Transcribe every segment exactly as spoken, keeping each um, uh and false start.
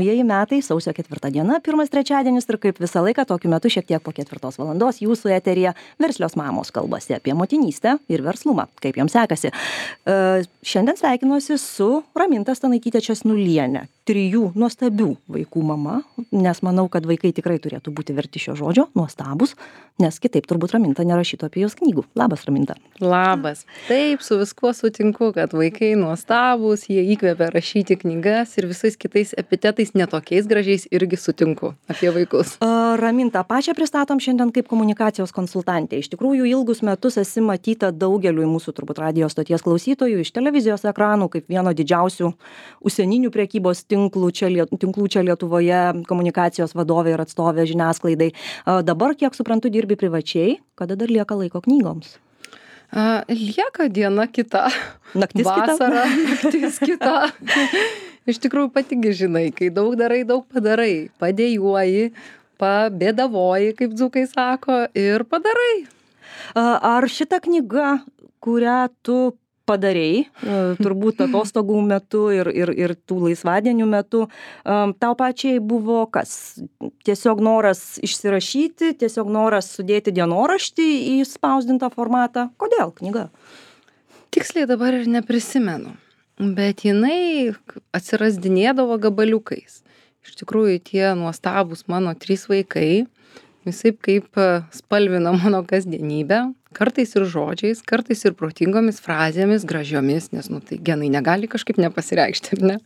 naujieji metai, sausio ketvirta diena, pirmas trečiadienis ir kaip visą laiką tokiu metu šiek tiek po ketvirtos valandos jūsų eteryje verslios mamos kalbasi apie motinystę ir verslumą. Kaip joms sekasi? Uh, šiandien sveikinuosi su Raminta Stanaityte Česnuliene, trijų nuostabių vaikų mama, nes manau, kad vaikai tikrai turėtų būti verti šio žodžio, nuostabus, nes kitaip turbūt Raminta nerašytų apie jos knygų. Labas, Raminta. Labas. Taip, su viskuo sutinku, kad vaikai nuostabus, jie įkvepia rašyti knygas ir visais kitais epitetais netokiais gražiais irgi sutinku apie vaikus. Uh, Raminta, pačią pristatom šiandien kaip komunikacijos konsultantė. Iš tikrųjų, ilgus metus esi matyta daugeliui mūsų turbūt radijo stoties klausytojų iš televizijos ekranų kaip vieno didžiausių užsieninių prekybos tinklų čia, tinklų čia Lietuvoje, komunikacijos vadovė ir atstovė žiniasklaidai. Uh, dabar, kiek suprantu, dirbi privačiai, kada dar lieka laiko knygoms? Uh, lieka diena kita. Naktis Vasara, kita. naktis kita. Iš tikrųjų, patigi žinai, kai daug darai, daug padarai. Padėjuoji, pabėdavoji, kaip dzūkai sako, ir padarai. Uh, ar šita knyga, kurią tu padarei, turbūt atostogų metu ir, ir, ir tų laisvadienių metu, tau pačiai buvo kas? Tiesiog noras išsirašyti, tiesiog noras sudėti dienoraštį į spausdintą formatą. Kodėl knyga? Tiksliai dabar ir neprisimenu, bet jinai atsirasdinėdavo gabaliukais. Iš tikrųjų, tie nuostabūs mano trys vaikai, visaip kaip spalvina mano kasdienybę, kartais ir žodžiais, kartais ir protingomis frazėmis, gražiomis, nes, nu, tai genai negali kažkaip nepasireikšti, ne?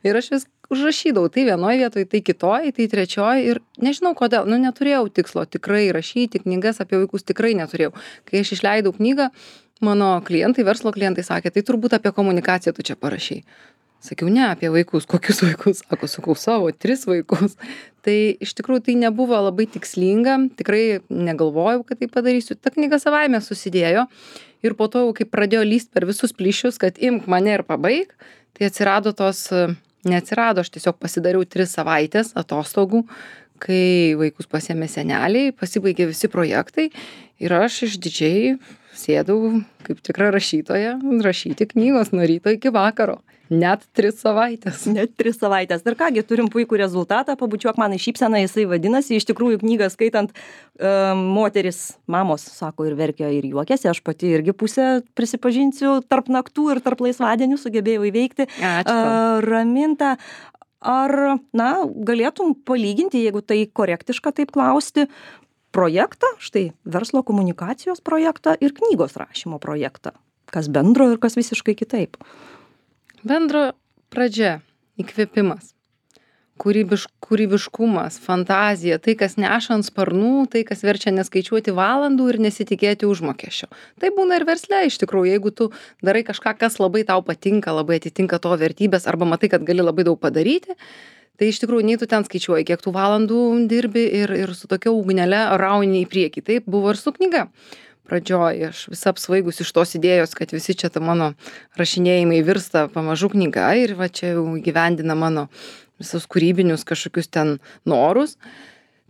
Ir aš vis užrašydavau, tai vienoje vietoje, tai kitoje, tai trečioje ir nežinau kodėl, nu, neturėjau tikslo tikrai rašyti knygas apie vaikus, tikrai neturėjau. Kai aš išleidau knygą, mano klientai, verslo klientai sakė, tai turbūt apie komunikaciją tu čia parašei. Sakiau, ne, apie vaikus. Kokius vaikus? Sako, sakau, savo, tris vaikus. Tai iš tikrųjų tai nebuvo labai tikslinga, tikrai negalvojau, kad tai padarysiu. Ta knyga savaime susidėjo ir po to, kai pradėjo lyst per visus plyšius, kad imk mane ir pabaig, tai atsirado tos, neatsirado, aš tiesiog pasidariau tris savaitės atostogų, kai vaikus pasiėmė seneliai, pasibaigė visi projektai ir aš išdidžiai sėdau kaip tikra rašytoja rašyti knygos nuo ryto iki vakaro. Net tris savaitės. Net tris savaitės. Ir kągi, turim puikų rezultatą, pabučiuok man į šypseną, jisai vadinasi, iš tikrųjų knygą skaitant um, moteris, mamos, sako, ir verkia, ir juokiasi, aš pati irgi pusę prisipažinsiu, tarp naktų ir tarp laisvadienių sugebėjau įveikti. Ačiū. Uh, Raminta, ar, na, galėtum palyginti, jeigu tai korektiška taip klausti, projektą, štai verslo komunikacijos projektą ir knygos rašymo projektą? Kas bendro ir kas visiškai kitaip? Bendro pradžia, įkvėpimas, kūrybiš, kūrybiškumas, fantazija, tai, kas neša ant sparnų, tai, kas verčia neskaičiuoti valandų ir nesitikėti užmokesčio. Tai būna ir versle, iš tikrųjų, jeigu tu darai kažką, kas labai tau patinka, labai atitinka tavo vertybės, arba matai, kad gali labai daug padaryti, tai iš tikrųjų nei tu ten skaičiuoji, kiek tų valandų dirbi ir, ir su tokia ugnele rauni į priekį. Taip buvo ir su knyga. Pradžioj aš vis apsvaigus iš tos idėjos, kad visi čia ta mano rašinėjimai virsta pamažu knyga ir va čia jau gyvendina mano visus kūrybinius kažkokius ten norus.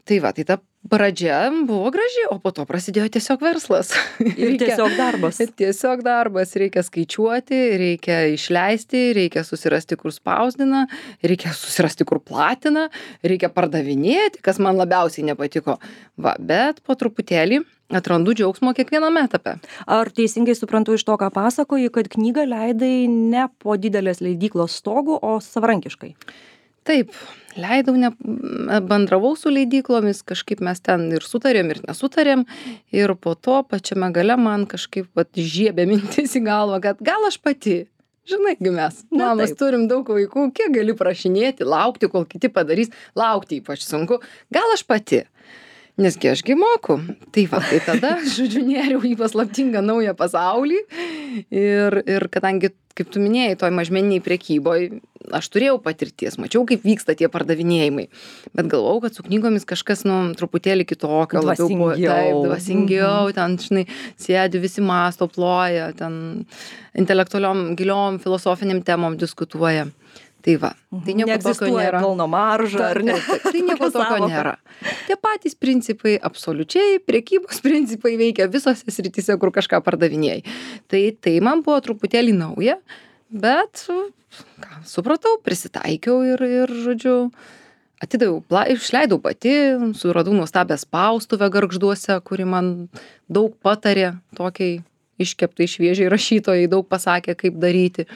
Tai va, tai ta pradžia buvo graži, o po to prasidėjo tiesiog verslas. Ir reikia, tiesiog darbas. Tiesiog darbas, reikia skaičiuoti, reikia išleisti, reikia susirasti, kur spausdina, reikia susirasti, kur platina, reikia pardavinėti, kas man labiausiai nepatiko. Va, bet po truputėlį atrandu džiaugsmo kiekviename etape. Ar teisingai suprantu iš to, ką pasakoji, kad knygą leidai ne po didelės leidyklos stogu, o savarankiškai? Taip, leidau, ne, bendravau su leidyklomis, kažkaip mes ten ir sutarėm, ir nesutarėm, ir po to pačiame gale man kažkaip vat, žiebė mintis į galvą, kad gal aš pati, žinai, mes, mamos turim daug vaikų, kiek gali prašinėti, laukti, kol kiti padarys, laukti ypač sunku, gal aš pati. Nesgi ašgi moku. Tai va, tai tada, žodžiu, nėriau į paslaptingą naują pasaulį ir, ir kadangi, kaip tu minėjai, toj mažmeniniai prekyboje, aš turėjau patirties, mačiau, kaip vyksta tie pardavinėjimai, bet galvojau, kad su knygomis kažkas, nu, truputėlį kitokio, labiau buvo, taip, dvasingiau, ten, žinai, sėdi, visi mąsto, ploja, ten intelektualiom, giliom, filosofiniam temom diskutuoja. Tai va, tai nieko tokio nėra. Pelno marža, ar ne? Tai nieko tokio nėra. Tie patys principai, absoliučiai, prekybos principai veikia visose srityse, kur kažką pardavinėjai. Tai, tai man buvo truputėlį nauja, bet ką, supratau, prisitaikiau ir, ir žodžiu, atidaviau, pla- išleidau pati, suradau nuostabią spaustuvę Gargžduose, kuri man daug patarė, tokiai iškeptai šviežiai rašytojai, daug pasakė, kaip daryti.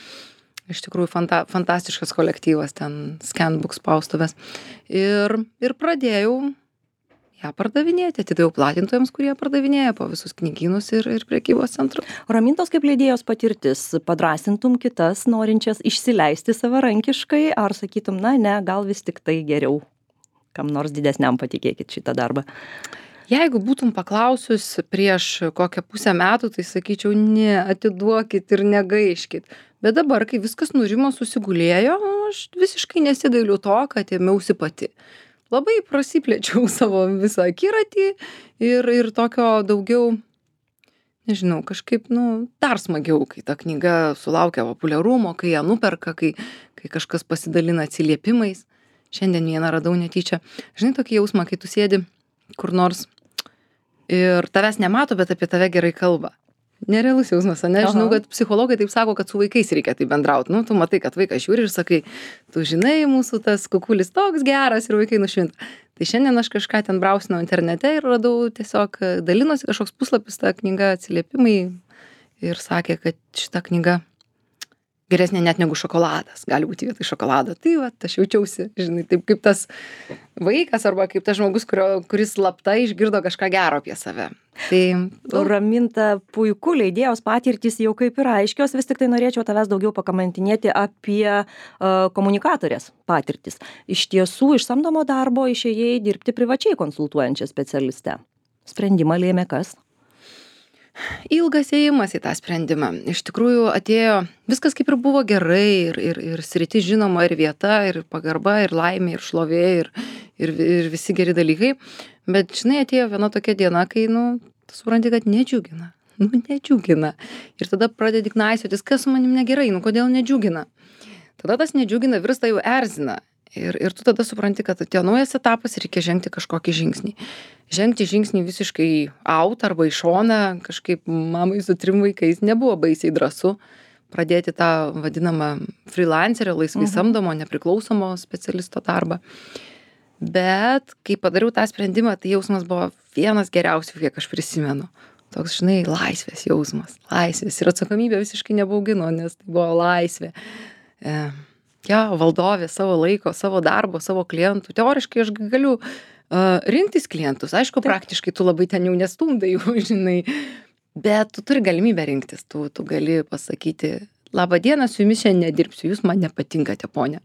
Iš tikrųjų, fanta, fantastiškas kolektyvas ten, Scanbook spaustuvės. Ir, ir pradėjau ją pardavinėti, atidaviau platintojams, kurie pardavinėja po visus knygynus ir, ir prekybos centrus. Ramintos kaip leidėjos patirtis, padrasintum kitas norinčias išsileisti savarankiškai, ar sakytum, na ne, gal vis tik tai geriau, kam nors didesniam patikėkit šitą darbą? Jeigu būtum paklausius prieš kokią pusę metų, tai sakyčiau, ne, atiduokit ir negaiškit. Bet dabar, kai viskas nurimo, susigulėjo, aš visiškai nesigailiu to, kad ėmiausi pati. Labai prasiplėčiau savo visą akiratį ir, ir tokio daugiau, nežinau, kažkaip, nu, dar smagiau, kai ta knyga sulaukia populiarumo, kai ją nuperka, kai, kai kažkas pasidalina atsiliepimais. Šiandien vieną radau netyčia. Žinai, tokį jausmą, kai tu sėdi kur nors ir tavęs nemato, bet apie tave gerai kalba. Nerealus jausmas, ne? Žinau, kad psichologai taip sako, kad su vaikais reikia taip bendrauti. Nu, tu matai, kad vaikas žiūri ir sakai, tu žinai, mūsų tas kukulis toks geras ir vaikai nušvinta. Tai šiandien aš kažką ten brausinau internete ir radau tiesiog dalinosi kažkoks puslapis, ta knyga atsiliepimai ir sakė, kad šita knyga geresnė net negu šokoladas, gali būti vietoj šokolado. Tai va, aš jaučiausi, žinai, taip kaip tas vaikas arba kaip tas žmogus, kurio, kuris slapta išgirdo kažką gero apie save. Tai tu... Raminta, puiku, leidėjos patirtys jau kaip ir aiškios, vis tik tai norėčiau tavęs daugiau pakamantinėti apie uh, komunikatorės patirtis. Iš tiesų, iš samdomo darbo išėjai dirbti privačiai konsultuojančią specialistę. Sprendimą lėmė kas? Ilgas ėjimas į tą sprendimą. Iš tikrųjų atėjo, viskas kaip ir buvo gerai, ir, ir, ir sritis žinoma, ir vieta, ir pagarba, ir laimė, ir šlovė, ir, ir, ir visi geri dalykai. Bet, žinai, atėjo viena tokia diena, kai, nu, tu supranti, kad nedžiugina. Nu, nedžiugina. Ir tada pradedi knaisiotis, kas su manim negerai, nu, kodėl nedžiugina. Tada tas nedžiugina virsta jau erzina. Ir, ir tu tada supranti, kad atėjo naujas etapas ir reikia žengti kažkokį žingsnį. Žengti žingsnį visiškai out arba į šoną, kažkaip mamai su trim vaikais nebuvo baisiai drąsu pradėti tą vadinamą freelancerio, laisvai mhm. samdomo, nepriklausomo specialisto darbą. Bet kai padariau tą sprendimą, tai jausmas buvo vienas geriausių, kiek aš prisimenu. Toks, žinai, laisvės jausmas, laisvės. Ir atsakomybė visiškai nebaugino, nes tai buvo laisvė. E, Ja, valdovė savo laiko, savo darbo, savo klientų. Teoriškai aš galiu uh, rinktis klientus. Aišku, taip, praktiškai tu labai ten jau nestumdai, žinai, bet tu turi galimybę rinktis. Tu, tu gali pasakyti, labą dieną, su jumis šiandien nedirbsiu, jūs man nepatinkate, ponia.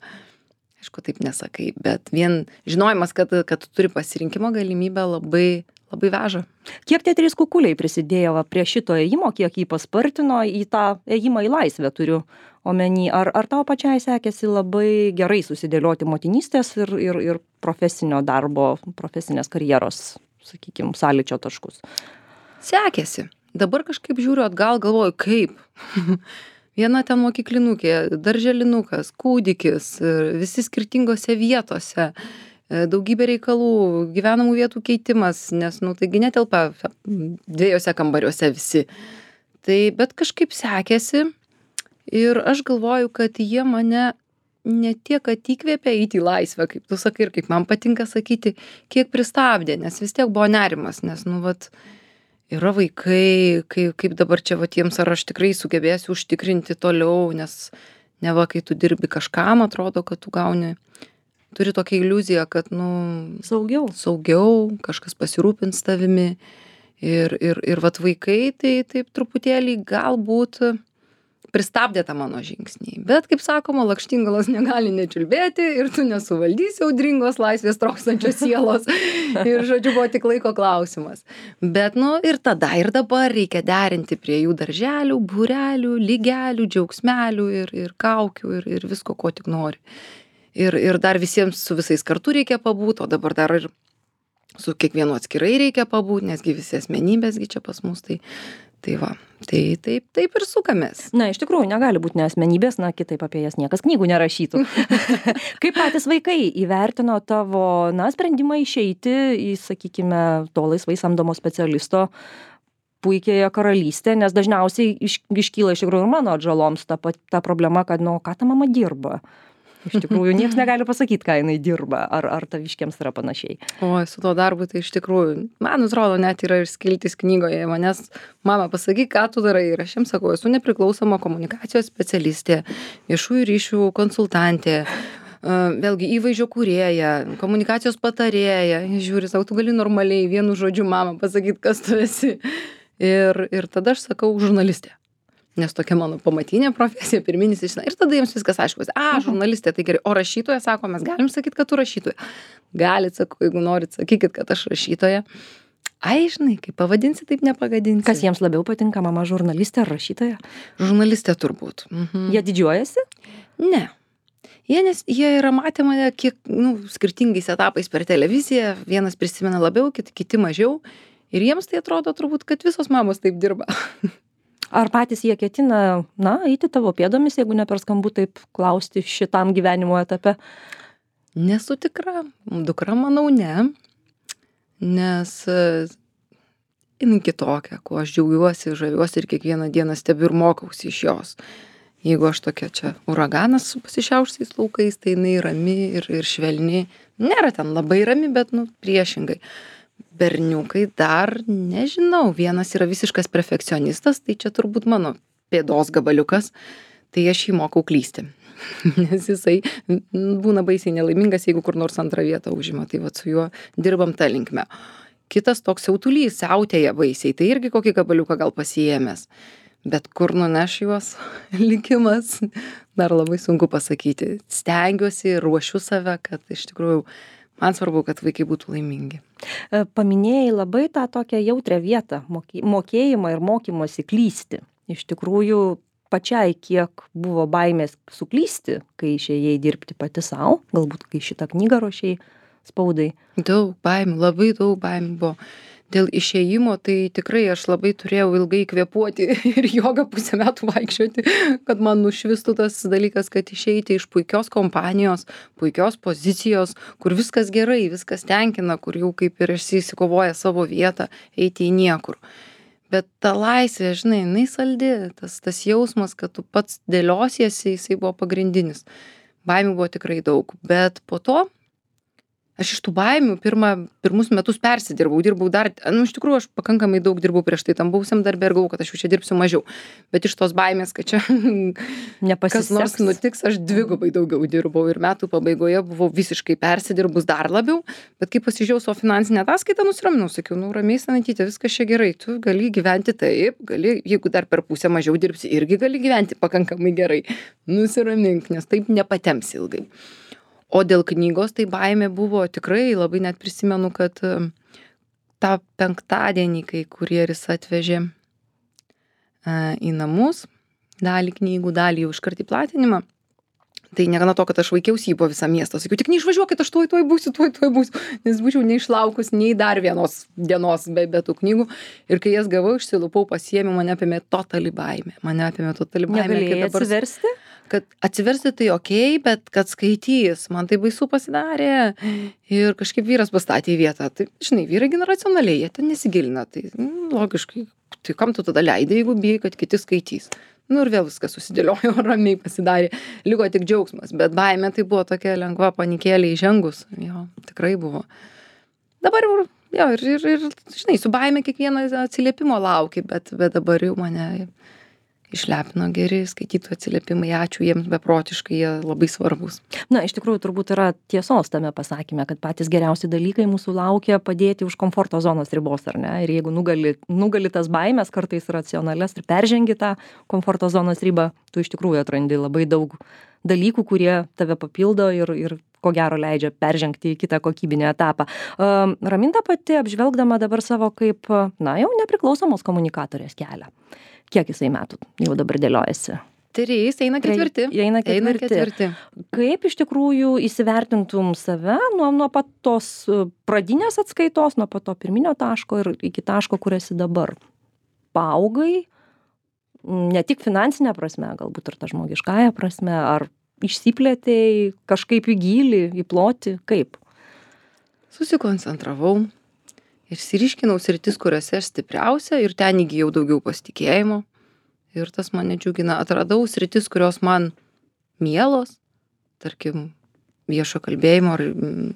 Aišku, taip nesakai, bet vien žinojimas, kad, kad tu turi pasirinkimo galimybę, labai, labai veža. Kiek tie trys kukuliai prisidėjo va, prie šito ėjimo, kiek jį paspartino į tą ėjimą į laisvę, turiu omeny, ar, ar tau pačiai sekėsi labai gerai susidėlioti motinystės ir, ir, ir profesinio darbo, profesinės karjeros, sakykime, sąlyčio taškus? Sekėsi. Dabar kažkaip žiūriu atgal, galvoju, kaip. Viena ten mokyklinukė, darželinukas, kūdikis, visi skirtingose vietose, daugybė reikalų, gyvenamų vietų keitimas, nes, nu, taigi netelpa dviejose kambariuose visi. Tai, bet kažkaip sekėsi. Ir aš galvoju, kad jie mane ne tiek, kad įkvėpė eiti į laisvę, kaip tu sakai, ir kaip man patinka sakyti, kiek pristabdė, nes vis tiek buvo nerimas, nes, nu, vat, yra vaikai, kaip, kaip dabar čia, vat, jiems ar aš tikrai sugebėsiu užtikrinti toliau, nes ne va, kai tu dirbi kažkam, atrodo, kad tu gauni, turi tokią iliuziją, kad, nu, saugiau, saugiau, kažkas pasirūpins tavimi. Ir, ir, ir vat vaikai, tai taip truputėlį galbūt pristabdė tą mano žingsnį. Bet, kaip sakoma, lakštingalos negali nečiulbėti ir tu nesuvaldysi audringos laisvės trokstančios sielos. Ir, žodžiu, buvo tik laiko klausimas. Bet, nu, ir tada, ir dabar reikia derinti prie jų darželių, būrelių, lygelių, džiaugsmelių ir, ir kaukių ir, ir visko, ko tik nori. Ir, ir dar visiems su visais kartu reikia pabūt, o dabar dar ir su kiekvienu atskirai reikia pabūt, nesgi visi asmenybėsgi čia pas mus, tai Tai va, tai taip, taip ir sukamės. Na, iš tikrųjų, negali būti ne asmenybės, na, kitaip apie jas niekas knygų nerašytų. Kaip patys vaikai įvertino tavo, na, sprendimą išeiti į, sakykime, to laisvai samdomo specialisto puikiąją karalystę, nes dažniausiai iš, iškyla iš tikrųjų ir mano atžaloms ta, pat- ta problema, kad, nu, ką ta mama dirba. Iš tikrųjų, niekas negali pasakyti, ką jinai dirba, ar, ar taviškiams yra panašiai. O su to darbu tai iš tikrųjų, man atrodo, net yra ir skiltis knygoje, manęs mama pasakyk, ką tu darai. Ir aš jiems sakau, esu nepriklausoma komunikacijos specialistė, viešųjų ryšių konsultantė, e, vėlgi įvaizdžio kūrėja, komunikacijos patarėja. Jis žiūri, sako, tu gali normaliai vienu žodžiu mama pasakyti, kas tu esi. Ir, ir tada aš sakau žurnalistė. Nes tokia mano pamatinė profesija, pirminis išsina. Ir tada jiems viskas aišku. A, žurnalistė, tai gerai. O rašytoja, sako, mes galim sakyti, kad tu rašytoja. Galit, sako, jeigu norit, sakykit, kad aš rašytoja. Ai, žinai, kaip pavadinsi, taip nepagadinsi. Kas jiems labiau patinka, mama žurnalistė ar rašytoja? Žurnalistė turbūt. Mhm. Jie didžiuojasi? Ne. Jie, nes, jie yra matę mane kiek, nu, skirtingais etapais per televiziją. Vienas prisimena labiau, kiti, kiti mažiau. Ir jiems tai atrodo turbūt, kad visos mamos taip dirba. Ar patys jie ketina, na, eiti tavo pėdomis, jeigu ne per skambu taip klausti šitam gyvenimo etape? Nesu tikra. Dukra, manau, ne. Nes e, jinai kitokia, kuo aš džiaugiuosi, žaviuosi ir kiekvieną dieną stebiu ir mokausi iš jos. Jeigu aš tokia čia uraganas su pasišiaušusiais laukais, tai jinai rami ir, ir švelni. Nėra ten labai rami, bet, nu, priešingai. Berniukai dar, nežinau, vienas yra visiškas perfekcionistas, tai čia turbūt mano pėdos gabaliukas, tai aš jį mokau klysti. Nes jisai būna baisiai nelaimingas, jeigu kur nors antrą vietą užima, tai va su juo dirbam tą linkmę. Kitas toks siautulys, siautėja baisiai, tai irgi kokį gabaliuką gal pasiėmęs. Bet kur nuneš juos likimas, dar labai sunku pasakyti. Stengiuosi, ruošiu save, kad iš tikrųjų man svarbu, kad vaikai būtų laimingi. Paminėjai labai tą tokią jautrią vietą, mokėjimą ir mokymosi klysti. Iš tikrųjų, pačiai kiek buvo baimės suklysti, kai išėjai dirbti pati savo, galbūt kai šitą knygą ruošiai spaudai. Daug baimių, labai daug baimių buvo. Dėl išėjimo tai tikrai aš labai turėjau ilgai kvėpuoti ir jogą pusę metų vaikščioti, kad man nušvistų tas dalykas, kad išeiti iš puikios kompanijos, puikios pozicijos, kur viskas gerai, viskas tenkina, kur jau kaip ir esi įsikovoję savo vietą, eiti į niekur. Bet ta laisvė, žinai, jinai saldi, tas, tas jausmas, kad tu pats dėliosiesi, jisai buvo pagrindinis. Baimių buvo tikrai daug, bet po to aš iš tų baimių pirmą, pirmus metus persidirbau, dirbau dar, nu, iš tikrųjų, aš pakankamai daug dirbau prieš tai tam buvusiam darbę ir galvojau, kad aš jau čia dirbsiu mažiau. Bet iš tos baimės, kad čia kas nors nutiks, aš dvigubai daugiau dirbau ir metų pabaigoje buvau visiškai persidirbus dar labiau. Bet kai pasižiūrėjau savo finansinę ataskaitą, nusiraminau, sakiau, nu, ramiai Sanatyte, viskas čia gerai, tu gali gyventi taip, gali, jeigu dar per pusę mažiau dirbsi, irgi gali gyventi pakankamai gerai. Nusiramink, nes taip nepatempsi ilgai. O dėl knygos tai baimė buvo tikrai, labai net prisimenu, kad tą penktadienį, kai kurjeris atvežė į namus dalį knygų, dalį jau iškart į platinimą, tai negana to, kad aš vaikiausi jį po visą miestą. Sakiau, tik neišvažiuokit, aš tuoj, tuoj būsiu, tuoj, tuoj būsiu, nes būčiau neišlaukus nei dar vienos dienos be, be tų knygų. Ir kai jas gavau, išsilupau, pasiėmiau, mane apėmė totali baimė. Mane apėmė totali baimė. Negalėjai atsiversti? Kad atsiversti tai okei, okay, bet kad skaitys, man tai baisu pasidarė. Ir kažkaip vyras pastatė į vietą. Tai, žinai, vyrai gana racionaliai, jie ten nesigilina. Tai mm, logiškai, tai kam tu tada leidai, jeigu bijai, kad kiti skaitys. Nu ir vėl viskas susidėliojo, ramiai pasidarė. Liko tik džiaugsmas, bet baimė tai buvo tokia lengva panikėlė įžengus. Jo, tikrai buvo. Dabar jau, jo, ir, ir, ir, žinai, su baimė kiekvieną atsiliepimo lauki, bet, bet dabar jau mane išlepino geri skaitytojų atsiliepimai, ačiū jiems beprotiškai, jie labai svarbus. Na, iš tikrųjų, turbūt yra tiesos tame pasakyme, kad patys geriausi dalykai mūsų laukia padėti už komforto zonos ribos, ar ne? Ir jeigu nugali, nugali tas baimės, kartais racionales ir peržengi tą komforto zonos ribą, tu iš tikrųjų atrandi labai daug dalykų, kurie tave papildo ir, ir ko gero leidžia peržengti į kitą kokybinį etapą. Uh, Raminta pati apžvelgdama dabar savo kaip, na, jau nepriklausomos komunikatorės kelią. Kiek jisai metų jau dabar dėliojasi? Trys, eina ketvirti. Eina ketvirti. Eina ketvirti. Kaip iš tikrųjų įsivertintum save nuo, nuo pat tos pradinės atskaitos, nuo pat to pirminio taško ir iki taško, kur esi dabar? Paaugai, ne tik finansinė prasme, galbūt ir ta žmogiškąja prasme, ar išsiplėtėjai kažkaip į gylį, į plotį, kaip? Susikoncentravau, Išsiryškinau sritis, kuriuose aš stipriausia ir ten įgijau daugiau pasitikėjimo. Ir tas mane džiugina. Atradau sritis, kurios man mielos, tarkim, viešo kalbėjimo ar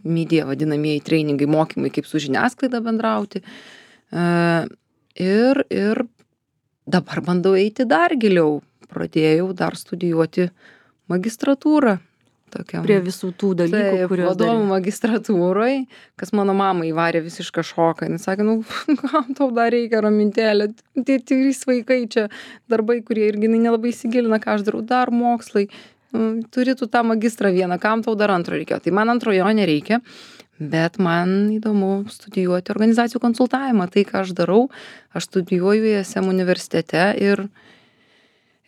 media vadinamieji treiningai, mokymai, kaip su žiniasklaida bendrauti. E, ir, ir dabar bandau eiti dar giliau. Pradėjau dar studijuoti magistratūrą. Tokiam. Prie visų tų dalykų, Taip, kuriuos vadovų darei. magistratūroj, kas mano mamą įvarė visišką šoką. Jis sakė, nu, kam tau dar reikia, Ramintėlė, tie trys vaikai čia, darbai, kurie irgi jinai nelabai įsigilina, ką aš darau, dar mokslai, nu, turi tu tą magistrą vieną, kam tau dar antro reikia. Tai man antrojo nereikia, bet man įdomu studijuoti organizacijų konsultavimą. Tai, ką aš darau, aš studijuoju I S M universitete ir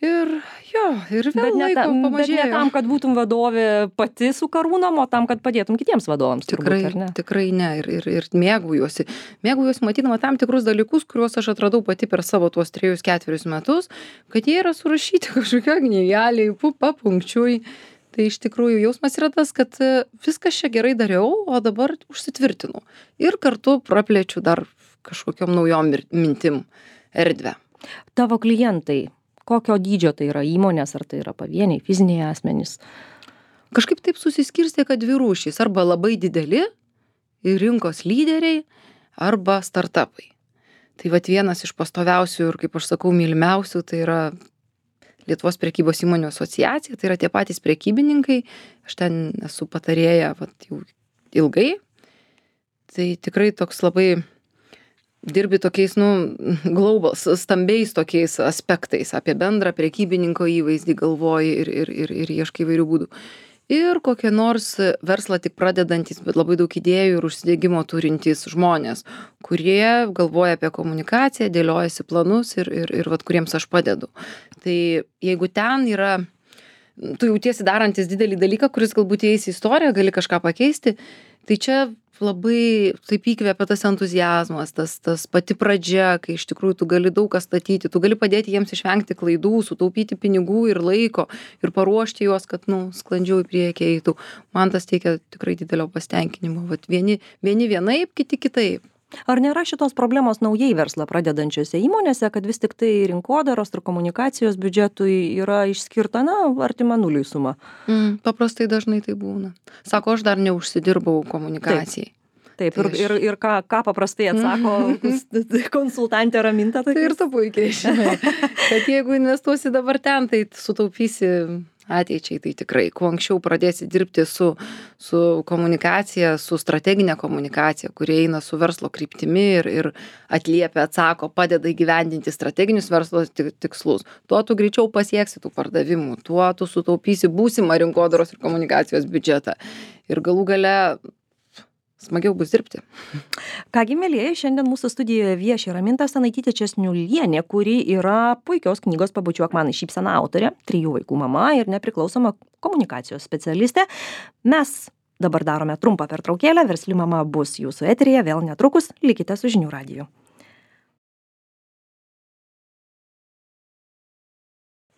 Ir jo, ir vėl Bet ne, laiko tam, bet pamažėjo. ne tam, kad būtum vadovė pati su karūnom, o tam, kad padėtum kitiems vadovams. Tikrai, turbūt, ar ne? tikrai ne. Ir, ir, ir mėgaujuosi. Mėgaujuosi matydama tam tikrus dalykus, kuriuos aš atradau pati per savo tuos trejus, ketverius metus, kad jie yra surašyti kažkokia knygelė, papunkčiui. Tai iš tikrųjų jausmas yra tas, kad viskas čia gerai dariau, o dabar užsitvirtinu. Ir kartu praplečiu dar kažkokiom naujom mintim erdvę. Tavo klientai. Kokio dydžio tai yra įmonės, ar tai yra pavieniai, fiziniai asmenys? Kažkaip taip susiskirstė, kad dvi rūšys. Arba labai dideli ir rinkos lyderiai, arba startupai. Tai vat vienas iš pastoviausių ir, kaip aš sakau, mylimiausių, tai yra Lietuvos prekybos įmonių asociacija. Tai yra tie patys prekybininkai. Aš ten esu patarėja vat, jau ilgai. Tai tikrai toks labai... dirbi tokiais, nu, global, stambiais tokiais aspektais, apie bendrą prekybininko įvaizdį galvoji ir, ir, ir, ir ieškai įvairių būdų. Ir kokie nors verslą tik pradedantis, bet labai daug idėjų ir užsidėgymo turintys žmonės, kurie galvoja apie komunikaciją, dėliojasi planus ir, ir, ir vat, kuriems aš padedu. Tai jeigu ten yra, tu jautiesi darantis didelį dalyką, kuris galbūt įeis į istoriją, gali kažką pakeisti, tai čia labai taip įkvėpia tas entuzijazmas, tas, tas pati pradžia, kai iš tikrųjų tu gali daug ką statyti, tu gali padėti jiems išvengti klaidų, sutaupyti pinigų ir laiko ir paruošti juos, kad, nu, sklandžiau į priekį eitų. Man tas teikia tikrai didelio pasitenkinimo. Vat vieni, vieni vienaip, kiti kitaip. Ar nėra šitos problemos naujai verslą pradedančiose įmonėse, kad vis tik tai rinkodaros ir komunikacijos biudžetui yra išskirta, na, artima nuliui suma? Mm, paprastai dažnai tai būna. Sako, aš dar neužsidirbau komunikacijai. Taip, Tai ir, aš- ir, ir ką, ką paprastai atsako konsultantė Raminta. Tai ir tu puikiai žinai, kad jeigu investuosi dabar ten, tai sutaupysi ateičiai. Tai tikrai, kuo anksčiau pradėsi dirbti su, su komunikacija, su strateginė komunikacija, kurie eina su verslo kryptimi ir, ir atliepia, atsako, padeda įgyvendinti strateginius verslo ti- tikslus, tuo tu greičiau pasieksi tų pardavimų, tuo tu sutaupysi būsimą rinkodaros ir komunikacijos biudžetą. Ir galų gale smagiau bus dirbti. Kągi, mielieji, šiandien mūsų studijoje vieši Raminta Stanaitytė Česniulienė, kuri yra puikios knygos Pabučiuok man šypseną autorė, trijų vaikų mama ir nepriklausoma komunikacijos specialistė. Mes dabar darome trumpą pertraukėlę, Versli mama bus jūsų eteryje vėl netrukus, likite su Žinių radiju.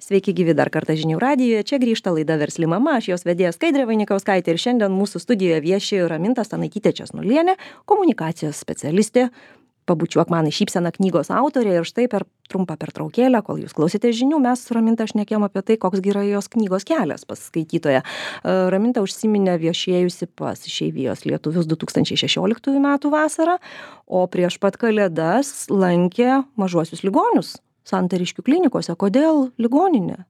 Sveiki gyvi dar kartą Žinių radijoje, čia grįžta laida Versli mama, aš jos vedėja Skaidrė Vainikauskaitė ir šiandien mūsų studijoje vieši Raminta Stanaitytė Česnulienė, komunikacijos specialistė, Pabučiuok man šypseną knygos autorė ir štai per trumpą pertraukėlę, kol jūs klausėte žinių, mes su Raminta šnekėjom apie tai, koks yra jos knygos kelias pas skaitytoją. Raminta užsiminė viešėjusi pas Išeivijos lietuvius du tūkstančiai šešioliktųjų metų vasarą, o prieš pat Kalėdas lankė mažuosius ligonius Santariškių klinikose. Kodėl ligoninė?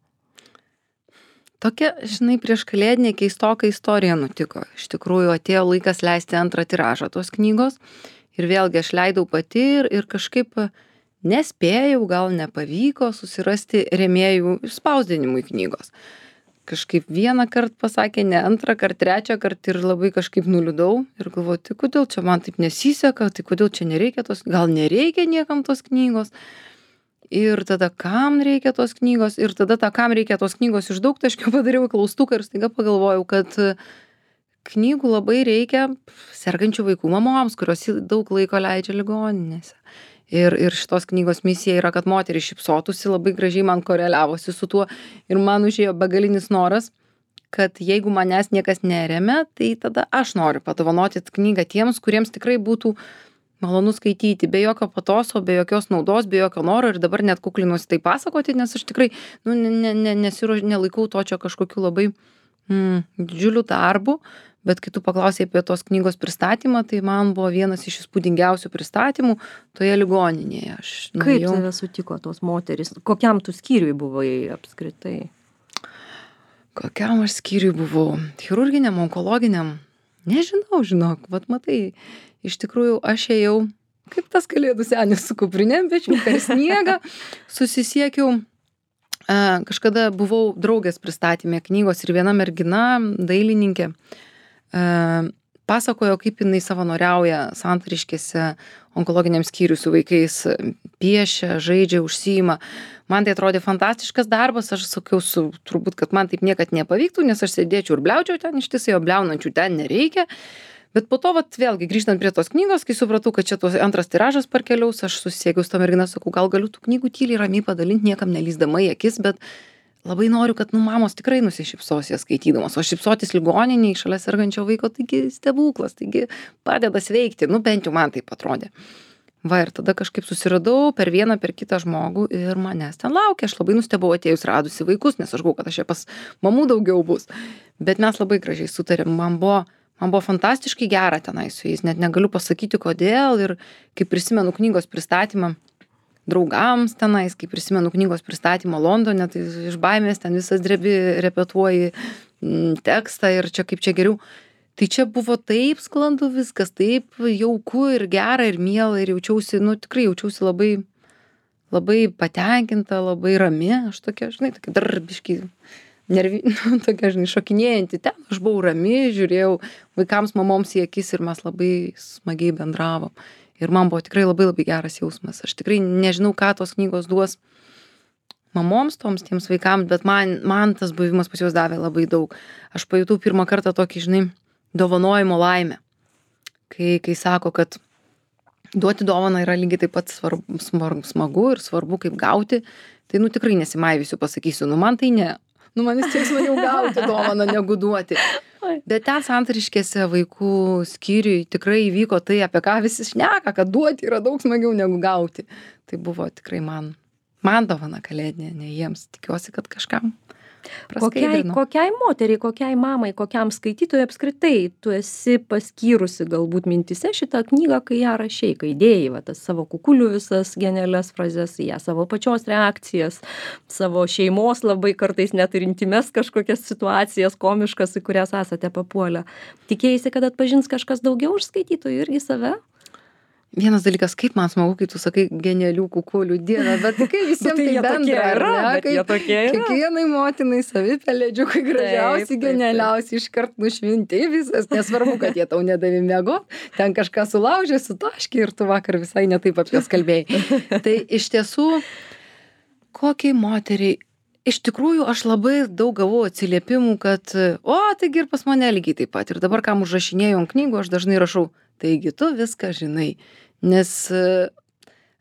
Tokia, žinai, prieš kalėdinė keistoka istorija nutiko. Iš tikrųjų, atėjo laikas leisti antrą tiražą tos knygos. Ir vėlgi aš leidau pati ir, ir kažkaip nespėjau, gal nepavyko susirasti rėmėjų spausdinimui knygos. Kažkaip vieną kartą pasakė, ne antrą kartą, trečią kartą ir labai kažkaip nuliūdau. Ir galvoju, tai kodėl čia man taip nesiseka, tai kodėl čia nereikia tos, gal nereikia niekam tos knygos. Ir tada kam reikia tos knygos, ir tada tą kam reikia tos knygos iš daugtaškio padariau klaustuką ir staiga pagalvojau, kad knygų labai reikia sergančių vaikų mamoms, kurios daug laiko leidžia ligoninėse. Ir, ir šitos knygos misija yra, kad moteris šypsotųsi, labai gražiai man koreliavosi su tuo ir man užėjo begalinis noras, kad jeigu manęs niekas neremia, tai tada aš noriu padovanoti knygą tiems, kuriems tikrai būtų malonu skaityti, be jokio patoso, be jokios naudos, be jokio noro ir dabar net kuklinuosi tai pasakoti, nes aš tikrai nu, ne, ne, nesiruoš, nelaikau to čia kažkokiu labai mm, didžiuliu darbu, bet kai tu paklausai apie tos knygos pristatymą, tai man buvo vienas iš įspūdingiausių pristatymų toje ligoninėje. Aš Kaip nuėjau- tave sutiko tos moterys? Kokiam tu skyriui buvai apskritai? Kokiam aš skyriui buvau? Chirurginiam, onkologiniam? Nežinau, žinok, vat matai, iš tikrųjų aš ėjau, kaip tas kalėdų senis su kuprinėm pečiu, per sniegą, susisiekiau, e, kažkada buvau draugės pristatymė knygos ir viena mergina, dailininkė, e, pasakojo, kaip jinai savanoriauja Santariškėse onkologiniam skyriui su vaikais, piešia, žaidžia, užsiima. Man tai atrodė fantastiškas darbas, aš sakiau, su, turbūt, kad man taip niekad nepavyktų, nes aš sėdėčiau ir bliaučiau ten, ištisai, o bliaunančių ten nereikia. Bet po to, vat, vėlgi, grįžtant prie tos knygos, kai supratau, kad čia tos antras tiražas parkeliaus, aš susisiekiau su to mergina, sakau, gal galiu tų knygų tyliai ramiai padalinti, niekam nelįsdama į akis, bet labai noriu, kad, nu, mamos tikrai nusišypsos jas skaitydamos, o šypsotis ligoniniai šalia sergančio vaiko, taigi stebuklas, taigi padeda sveikti, nu, bent jau man taip atrodė. Va, ir tada kažkaip susiradau per vieną, per kitą žmogų ir manęs ten laukia. Aš labai nustebau atėjus radusi vaikus, nes aš galvojau, kad aš čia pas mamų daugiau bus. Bet mes labai gražiai sutarėm. Man buvo, man buvo fantastiškai gera tenai su jais. Net negaliu pasakyti, kodėl. Ir kai prisimenu knygos pristatymą draugams tenais, kai prisimenu knygos pristatymą Londone, tai iš baimės ten visas drebi repetuoji mm, tekstą ir čia kaip čia geriau. Tai čia buvo taip sklandu viskas, taip jauku ir gera ir miela ir jaučiausi, nu tikrai jaučiausi labai, labai patenkinta, labai rami. Aš tokia, žinai, tokia darbiškai, nervi, nu, tokia, žinai, šokinėjanti ten. Aš buvau rami, žiūrėjau vaikams, mamoms į akis ir mes labai smagiai bendravom. Ir man buvo tikrai labai labai geras jausmas. Aš tikrai nežinau, ką tos knygos duos mamoms, toms tiems vaikams, bet man, man tas buvimas pas juos davė labai daug. Aš pajutau pirmą kartą tokį, žinai, dovanojimo laimę. Kai, kai sako, kad duoti dovaną yra lygiai taip pat svarbu, smagu ir svarbu, kaip gauti, tai, nu, tikrai nesimaivysiu, pasakysiu, nu, man tai ne. Nu, man vis tiek smagiau gauti dovaną, negu duoti. Bet ten Santariškėse vaikų skyriui tikrai įvyko tai, apie ką visi šneka, kad duoti yra daug smagiau negu gauti. Tai buvo tikrai man, man dovana kalėdinė, ne jiems. Tikiuosi, kad kažkam Kokiai, kokiai moteriai, kokiai mamai, kokiam skaitytojui apskritai tu esi paskyrusi galbūt mintise šitą knygą, kai ją rašei, kai dėjai va, tas savo kukulių visas genialias frazes, ją savo pačios reakcijas, savo šeimos labai kartais net ir intimes kažkokias situacijas komiškas, į kurias esate papuolę. Tikėjaisi, kad atpažins kažkas daugiau už skaitytojų irgi save? Vienas dalykas, kaip man smagu, kai tu sakai genialių kukulių dieną, bet kai visiems tai bendra, yra, ne? Kai kiekvienai motinai savi pelėdžiukai gražiausi, Taip, taip, genialiausi, iškart nušvinti visas, nesvarbu, kad jie tau nedavė miego, ten kažką sulaužė, sutaškė ir tu vakar visai netaip apie jas kalbėjai. Tai iš tiesų, kokiai moteriai, iš tikrųjų aš labai daug gavau atsiliepimų, kad, o, taigi ir pas mane lygiai taip pat. Ir dabar, kam užrašinėjau ant knygų, aš dažnai rašau, taigi tu viską žinai. Nes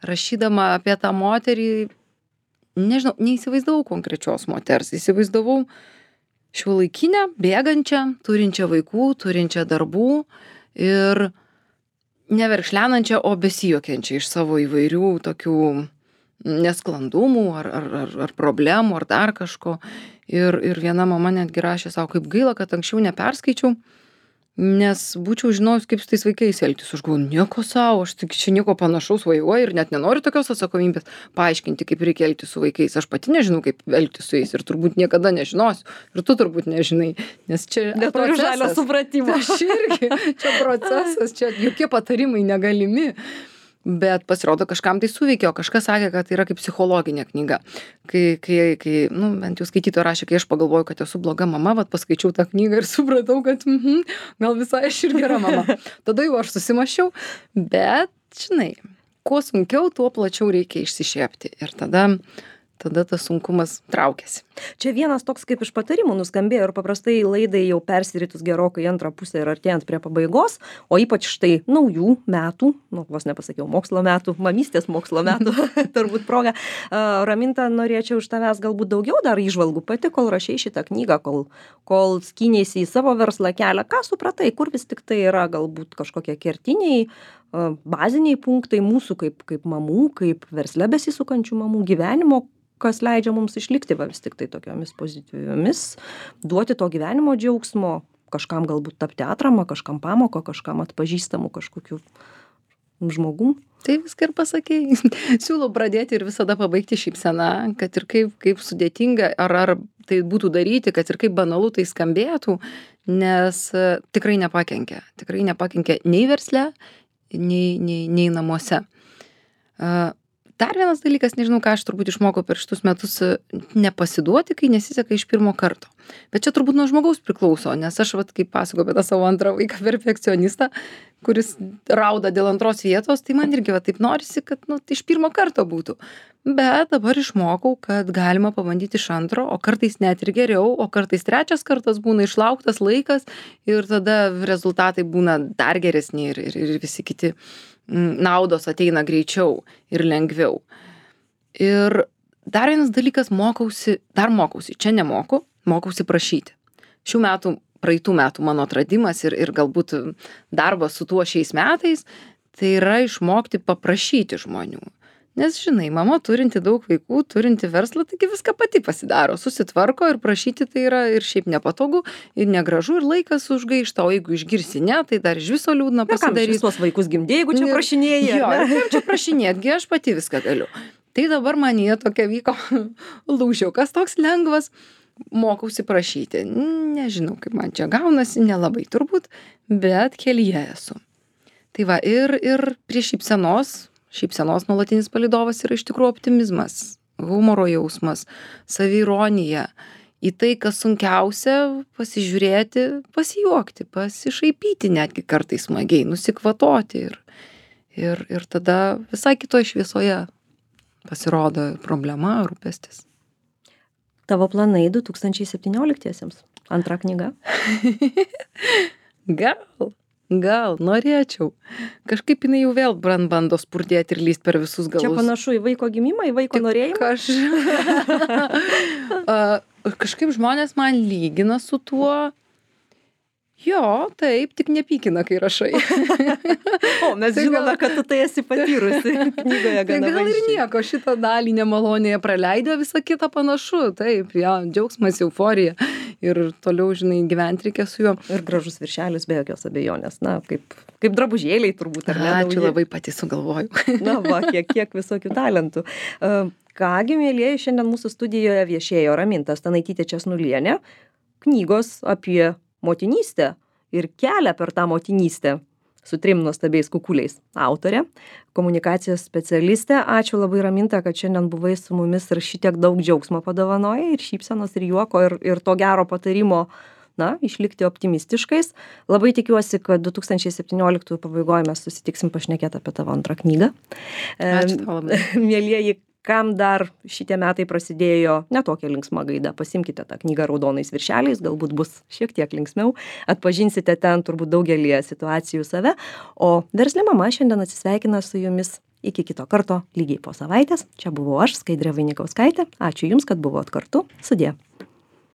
rašydama apie tą moterį, nežinau, neįsivaizdavau konkrečios moters, įsivaizdavau šiuolaikinę, bėgančią, turinčią vaikų, turinčią darbų ir neverkšlenančią, o besijuokiančią iš savo įvairių tokių nesklandumų ar, ar, ar, ar problemų ar dar kažko. Ir, ir viena mama netgi rašė savo, kaip gaila, kad anksčiau neperskaičiau, nes būčiau žinojus, kaip su tais vaikais elgtis. Aš galvoju, nieko savo, aš tik čia nieko panašaus vajuoju ir net nenoriu tokios atsakomybės paaiškinti, kaip reikia elgtis su vaikais. Aš pati nežinau, kaip elgtis su jais ir turbūt niekada nežinosiu. Ir tu turbūt nežinai, nes čia Neturiu žalio supratimo. Aš irgi, čia procesas, čia jokie patarimai negalimi. Bet pasirodo, kažkam tai suveikė, o kažkas sakė, kad tai yra kaip psichologinė knyga. Kai, kai, kai nu, bent jau skaitytoja rašė, kai aš pagalvoju, kad esu bloga mama, vat paskaičiau tą knygą ir supratau, kad mhm, gal visai aš ir gera mama. Tada jau aš susimašiau, bet, žinai, kuo sunkiau, tuo plačiau reikia išsišiepti. Ir tada, tada tas sunkumas traukiasi. Čia vienas toks kaip iš patarimų nuskambėjo ir paprastai laidai jau persiritus gerokai antrą pusę ir artėjant prie pabaigos, o ypač štai naujų metų, nu, vos nepasakiau mokslo metų, mamystės mokslo metų, turbūt proga. Raminta, norėčiau iš tavęs galbūt daugiau dar įžvalgų pati, kol rašei šitą knygą, kol, kol skynėsi į savo verslą kelią. Ką supratai, kur vis tik tai yra galbūt kažkokie kertiniai baziniai punktai mūsų kaip, kaip mamų, kaip versle besisukančių mamų gyvenimo, kas leidžia mums išlikti va, vis tik tai tokiomis pozityviomis, duoti to gyvenimo džiaugsmo, kažkam galbūt tapti atramą, kažkam pamoką, kažkam atpažįstamų kažkokių žmogų. Tai viską ir pasakei. Siūlau pradėti ir visada pabaigti šypseną, kad ir kaip, kaip sudėtinga, ar, ar tai būtų daryti, kad ir kaip banalu tai skambėtų, nes uh, tikrai nepakenkia. Tikrai nepakenkia nei versle, nei, nei, nei namuose. Uh, Dar vienas dalykas, nežinau, ką aš turbūt išmokau per šitus metus, nepasiduoti, kai nesiseka iš pirmo karto. Bet čia turbūt nuo žmogaus priklauso, nes aš, vat, kaip pasakoju apie tą savo antrą vaiką perfekcionistą, kuris rauda dėl antros vietos, tai man irgi va, taip norisi, kad nu, tai iš pirmo karto būtų. Bet dabar išmokau, kad galima pabandyti iš antro, o kartais net ir geriau, o kartais trečias kartas būna išlauktas laikas ir tada rezultatai būna dar geresni ir, ir, ir visi kiti naudos ateina greičiau ir lengviau. Ir dar vienas dalykas, mokausi, dar mokausi, čia nemoku, mokausi prašyti. Šių metų, praeitų metų mano atradimas ir, ir galbūt darbas su tuo šiais metais, tai yra išmokti paprašyti žmonių. Nes, žinai, mama turinti daug vaikų, turinti verslą, taigi viską pati pasidaro, susitvarko ir prašyti tai yra ir šiaip nepatogu, ir negražu, ir laikas užgaišta, o jeigu išgirsi ne, tai dar iš viso liūdna pasidarys. Tuos vaikus gimdė, jeigu čia prašinėjai. Jo, kaip čia prašinėtgi, aš pati viską galiu. Tai dabar manyje tokia vyko lūžiukas toks lengvas, mokausi prašyti. Nežinau, kaip man čia gaunasi, nelabai turbūt, bet kelyje esu. Tai va, ir, ir prie šypsenos, šypsenos nuolatinis palydovas yra iš tikrųjų optimizmas, humoro jausmas, saviironija. Į tai, kas sunkiausia, pasižiūrėti, pasijuokti, pasišaipyti netgi kartais smagiai, nusikvatoti ir, ir, ir tada visai kitoje šviesoje pasirodo problema, rūpestis. Tavo planai du tūkstančiai septynioliktiesiems? Antra knyga? Gal. Gal, norėčiau. Kažkaip jinai jau vėl bando spurdėti ir lyst per visus galus. Čia panašu į vaiko gimimą, į vaiko Tik norėjimą? Kaž... uh, kažkaip žmonės man lygina su tuo. Jo, taip, tik nepykina, kai rašai. O, mes tai žinome, gal... kad tu tai esi patyrusi knygoje gana tai gal vaizdžiai. Ir nieko, šitą dalį nemalonėje praleidę, visą kitą panašu. Taip, ja, džiaugsmas, euforija. Ir toliau, žinai, gyventi reikia su juo. Ir gražus viršelis be jokios abejonės. Na, kaip, kaip drabužėliai turbūt. Ar ne? Ačiū, labai pati sugalvoju. Na, va, kiek, kiek visokių talentų. Uh, kągi, mėlyjeji, šiandien mūsų studijoje viešėjo Raminta Stanaitytė Česnulienė, knygos apie motinystę ir kelią per tą motinystę su trim nuostabiais kukuliais autorė, komunikacijos specialistė. Ačiū labai, Raminta, kad šiandien buvai su mumis ir šitiek daug džiaugsmo padovanojai ir šypsenos ir juoko ir, ir to gero patarimo, na, išlikti optimistiškais. Labai tikiuosi, kad du tūkstančiai septynioliktųjų pabaigoje mes susitiksim pašnekėti apie tavo antrą knygą. Ačiū tau labai. Mėlyjeji, kam dar šitie metai prasidėjo netokia linksma gaida, pasimkite tą knygą raudonais viršeliais, galbūt bus šiek tiek linksmiau, atpažinsite ten turbūt daugelį situacijų save, o Versli mama šiandien atsisveikina su jumis iki kito karto lygiai po savaitės. Čia buvau aš, Skaidrė Vainikauskaitė. Ačiū Jums, kad buvot kartu. Sudie.